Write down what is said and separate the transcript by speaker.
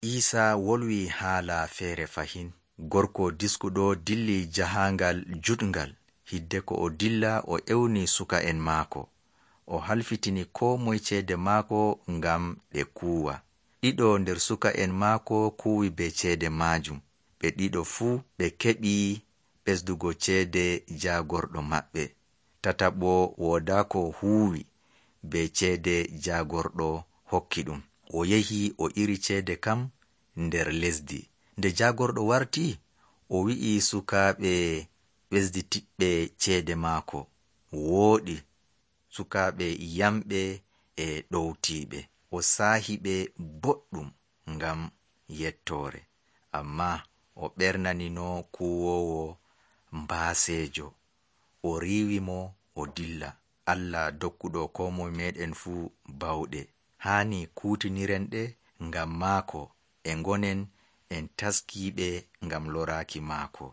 Speaker 1: Iisa wolwi haala feere fahin. Gorko diskuɗo dilli jahangal juɗngal. Hidde ko o dilla o ewni suka'en maako. O halfitini ko moye ceede maako ngam ɓe kuuwa. Ɗiɗo nder suka'en maako kuuwi be ceede maajum. Ɓe ɗiɗo fuu ɓe keɓi ɓesdugo ceede jaagorɗo maɓɓe. Tataɓo woodaako huuwi be ceede jaagorɗo hokki ɗum. O yehi o iri ceede kam nder lesdi. Nde jaagorɗo warti, o wi'i sukaaɓe ɓesditiɓɓe ceede maako. Wooɗi sukaaɓe yamɓe e ɗowtiiɓe. O saahi ɓe boɗɗum ngam yettoore. Ammaa o ɓernanino kuwoowo mbaaseejo. O riiwi mo o dilla. Allah dokkuɗo ko moye meɗen fuu bawɗe. Haani kuutiniren ɗe ngam maako e ngonen en taskiiɓe ngam loraaki maako.